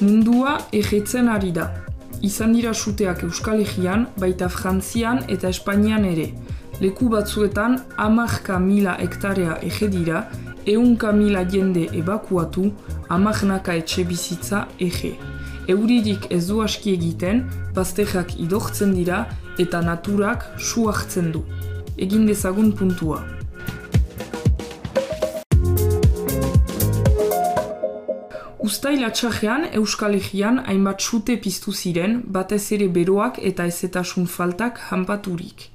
Mundua ejetzen ari da. Izan dira suteak Euskal Herrian, baita Frantzian eta Espainian ere. Leku batzuetan 10.000 hektarea ege dira, 100.000 jende ebakuatu, 10 etxe bizitza ege. Euririk ez du aski egiten, bazterrak idortzen dira eta naturak su hartzen du. Egin dezagun puntua. Uztail atxarrean Euskal Herrian hainbat sute piztu ziren, batez ere beroak eta ezetasun faltak hanpaturik.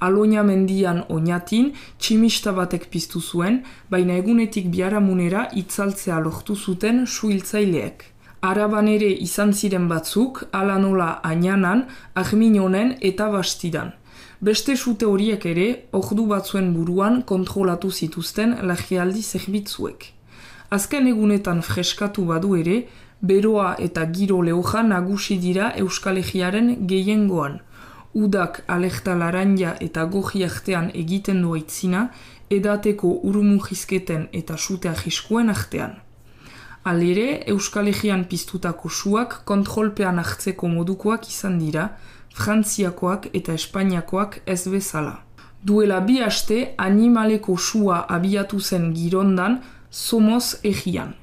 Aloña mendian oinatin, tximista batek piztu zuen, baina egunetik biharamunera itzaltzea lortu zuten suhiltzaileek. Araban ere izan ziren batzuk, ala nola Añanan, Arminonen eta Bastidan. Beste sute horiek ere, ordu batzuen buruan kontrolatu zituzten larrialdi zerbitzuek. Azken egunetan freskatu badu ere, beroa eta giro lehoja nagusi dira Euskal Herriaren gehiengoan. Udak alerta laranja eta goji artean egiten du aitzina, edateko urumujizketen eta sute ahiskuen artean. Halere, Euskal Herrian piztutako suak kontrolpean hartzeko modukoak izan dira, Frantziakoak eta Espainiakoak ez bezala. Duela 2 aste, animaleko sua abiatu zen Girondan, Somoz Herrian.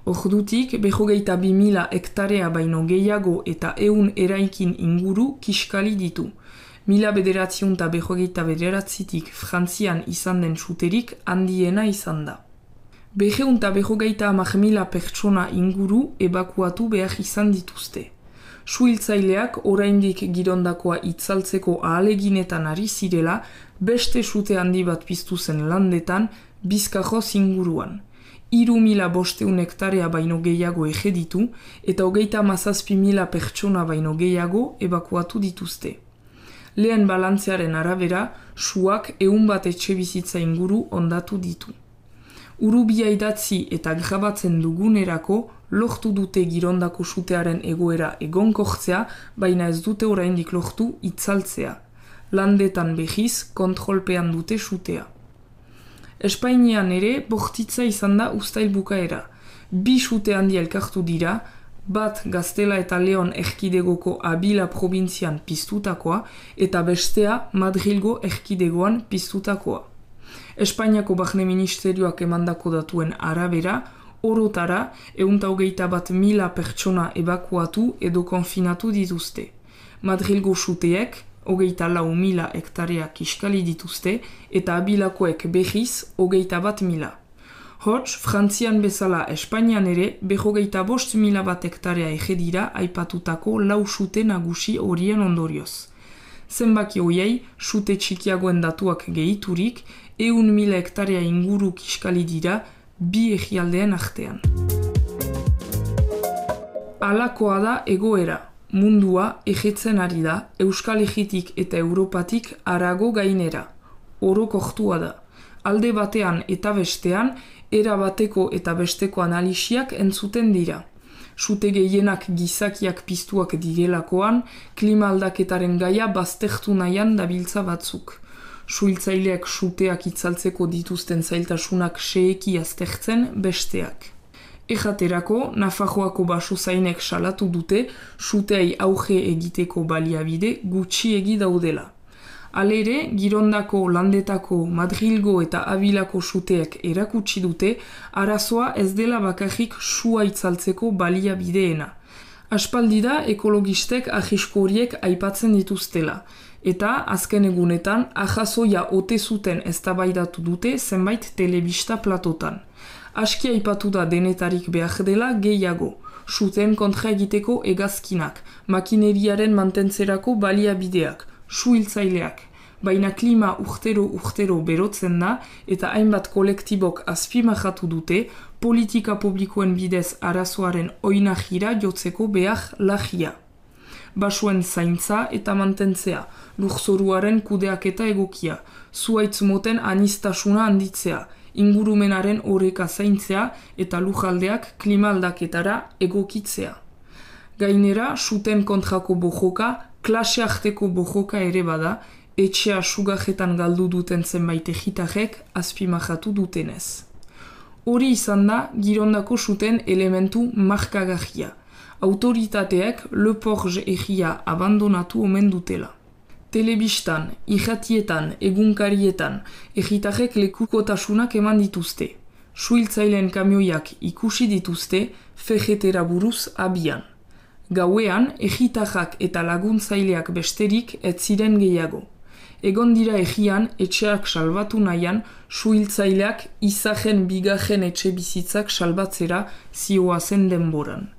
Ordutik, 22.000 hektarea baino gehiago eta 100 eraikin inguru kiskali ditu. 1929tik Frantzian izan den suterik handiena izan da. 250.000 pertsona inguru ebakuatu behar izan dituzte. Suhiltzaileak oraindik Girondakoa itzaltzeko ahaleginetan ari zirela, beste sute handi bat piztu zen landetan, Bizkajoz inguruan. 3.500 hektarea baino gehiago ege ditu eta 37.000 pertsona baino gehiago ebakuatu dituzte. Lehen balantzearen arabera, suak 100 etxe bizitza inguru ondatu ditu. Urubia idatzi eta grabatzen dugunerako lortu dute Girondako sutearen egoera egonkortzea, baina ez dute oraindik lortu itzaltzea. Landetan behiz kontrolpean dute sutea. Espainian ere bortitza izan da uztail bukaera. 2 sute handi elkartu dira, bat Gaztela eta Leon erkidegoko Abila probintzian piztutakoa eta bestea Madrilgo erkidegoan piztutakoa. Espainiako Barne Ministerioak emandako datuen arabera, orotara 121.000 pertsona ebakuatu edo konfinatu dituzte. Madrilgo suteek 24.000 hektarea kiskali dituzte eta Abilakoek behiz 21.000. Hots, Frantzian bezala Espainian ere 25.000 hektarea ege dira aipatutako 4 sute nagusi horien ondorioz. Zenbaki hoiei, sute txikiagoen datuak gehiturik, 100.000 hektarea inguru kiskali dira 2 herrialdeen artean. Halakoa da egoera. Mundua ejetzen ari da, Euskal Herritik eta Europatik harago gainera. Orokortua da. Alde batean eta bestean, era bateko eta besteko analisiak entzuten dira. Sute gehienak gizakiak piztuak direlakoan, klima aldaketaren gaia baztertu nahian dabiltza batzuk. Suhiltzaileak suteak itzaltzeko dituzten zailtasunak xeheki aztertzen besteak. Ejaterako, Nafarroako basozainek salatu dute suteai auge egiteko baliabide gutxiegi daudela. Halere, Girondako, Landetako, Madrilgo eta Abilako suteek erakutsi dute arazoa ez dela bakarrik sua itzaltzeko baliabideena. Aspaldi da ekologistek ahisko horiek aipatzen dituztela, eta azken egunetan ahazoia ote zuten eztabaidatu dute zenbait telebista platotan. Aski aipatu da denetarik behar dela gehiago, suten kontra egiteko hegazkinak, makineriaren mantentzerako baliabideak, suhiltzaileak, baina klima urtero berotzen da eta hainbat kolektibok azpimajatu dute politika publikoen bidez arazoaren oinahira jotzeko behar lagia. Basuen zaintza eta mantentzea, lurzoruaren kudeaketa egokia, zuhaitz moten anistasuna handitzea, ingurumenaren oreka zaintzea eta lujaldeak klima aldaketara egokitzea. Gainera, suten kontrako bojoka, klase arteko bojoka ere bada, etxea sugajetan galdu duten zenbait egitarek azpimajatu dutenez. Hori izan da Girondako suten elementu markagarria. Autoritateek Le Porge egia abandonatu omen dutela. Telebistan, irratietan, egunkarietan, egitarrek lekukotasunak eman dituzte. Suhiltzaileen kamioiak ikusi dituzte FGT-ra buruz abian. Gauean, egitarrak eta laguntzaileak besterik ez ziren gehiago. Egon dira egian, etxeak salbatu nahian, suhiltzaileak izajen bigarren etxe bizitzak salbatzera zioazen denboran.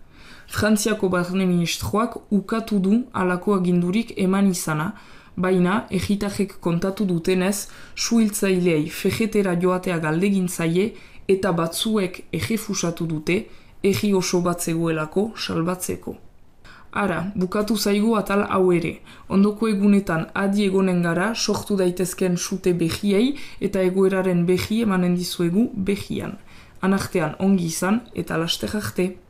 Frantziako barne ministroak ukatu du halako agindurik eman izana, baina egitarrek kontatu dutenez, suhiltzaileei FGT-ra joatea galdegin zaie eta batzuek errefusatu dute, egi oso bat zegoelako salbatzeko. Ara, bukatu zaigu atal hau ere. Ondoko egunetan adi egonen gara sortu daitezken sute behiei eta egoeraren behi emanen dizuegu behian. Anartean ongi izan eta laster arte.